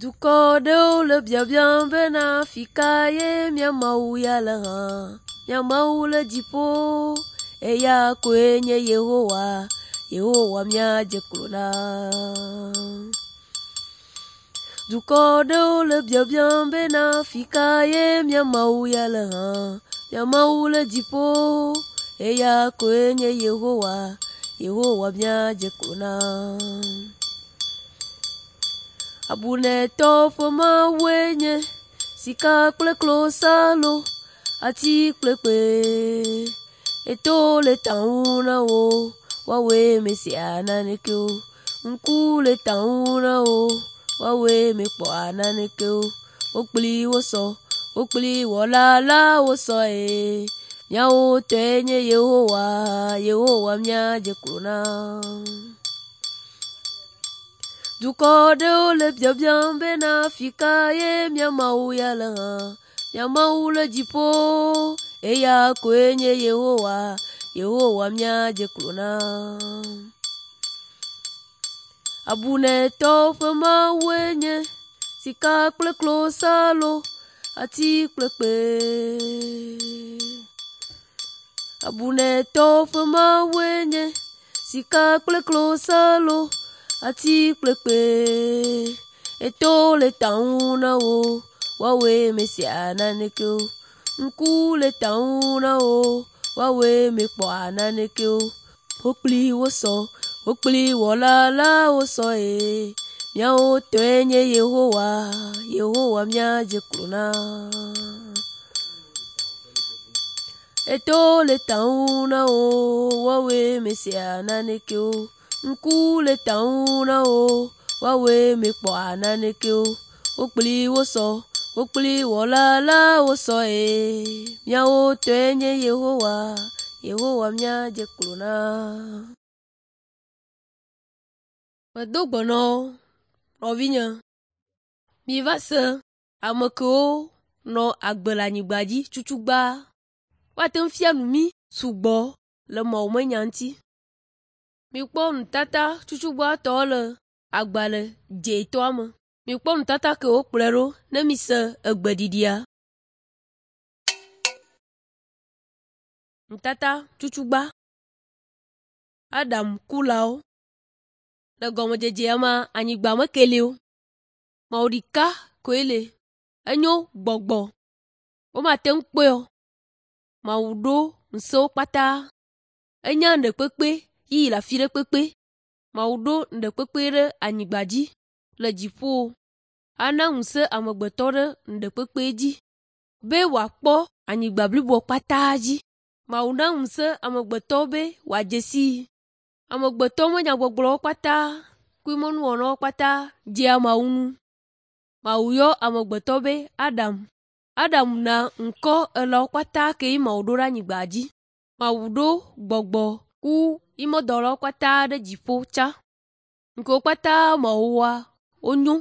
Dukɔ ɖewo le biabiam bena afi ka ye mía Mawu ya le hã. Mía Mawu le dziƒo, eya koe nye Yehowa, Yehowa míadze klo na. Dukɔ ɖewo le biabiam bena afi ka ye mía Mawu ya le hã. Mía Mawu le dziƒo, eya koe nye Yehowa, Yehowa míadze klo na. Abunetɔwo ƒe Mawue nye sika kple klosalo, ati kple kpe. Eto le ta ŋu na wo, woawoe mesea naneke o. Ŋku le ta ŋu na wo, woawoe mekpɔa naneke o. Wo kpli wosɔ, wo kpli wɔla la wosɔ eye míawo tɔe nye Yehowa, Yehowa míadze klo na. Dukɔ ɖewo le biabiam bena afi ka ye mía Mawu ya le hã. Mía Mawu le dziƒo, eya koe nye Yehowa, Yehowa míadze klo na. Abunetɔwo ƒe Mawue nye sika kple klosalo, ati kple kpe. Abunetɔwo ƒe Mawue nye sika kple klosalo, ati kple kpe. Eto le ta ŋu na wo, woawoe mesea naneke o. Ŋku le ta ŋu na wo, woawoe mekpɔa naneke o. Wo kpli wosɔ, wo kpli wɔla la wosɔ eye míawo tɔe nye Yehowa, Yehowa míadze klo na. Eto le ta ŋu na wo, woawoe mesea naneke o. Ŋku le ta ŋu na wo, woawoe mekpɔa naneke o. Wo kpli wosɔ, wo kpli wɔla la wosɔ eye míawo tɔe nye Yehowa, Yehowa míadze klo na. Medo gbe na wo, nɔvinye, miva se ame kewo nɔ agbe le anyigba dzi tutugbã. Woate ŋu fia nu mí sugbɔ le Mawu me nya ŋuti. Mikpɔ nutata tutugbãtɔ le agbalẽ dzɛ̃tɔa me. Mikpɔ nutata ke wokplɔe ɖo ne mise egbeɖiɖia. Nutata tutugbã. Adam kulawo. Le gɔmedzedzea mea, anyigba mekeli o. Mawu ɖeka koe le. Enyo gbɔgbɔ. Womate ŋu kpɔe o. Mawu ɖo ŋusẽwo kpata. Enya nu ɖekpekpe yi le afi ɖe kpekpe. Mawu ɖo nu ɖekpekpe ɖe anyigba dzi le dziƒo. Ana ŋusẽ amegbetɔ ɖe nu ɖekpekpe dzi be wòakpɔ anyigba bliboa kpata dzi. Mawu na ŋusẽ amegbetɔ be wòadze sii. Amegbetɔ me nyagbɔgblɔwo kpata kple nuwɔnawo kpata dzea Mawu ŋu. Mawu yɔ amegbetɔ be Adam. Adam na ŋkɔ elãwo kpata ke Mawu ɖo ɖe anyigba dzi. Mawu ɖo gbɔgbɔ ku yi me dɔlawo kpata ɖe dziƒo tsã. Ŋkewo kpata Mawu wɔa wonyo.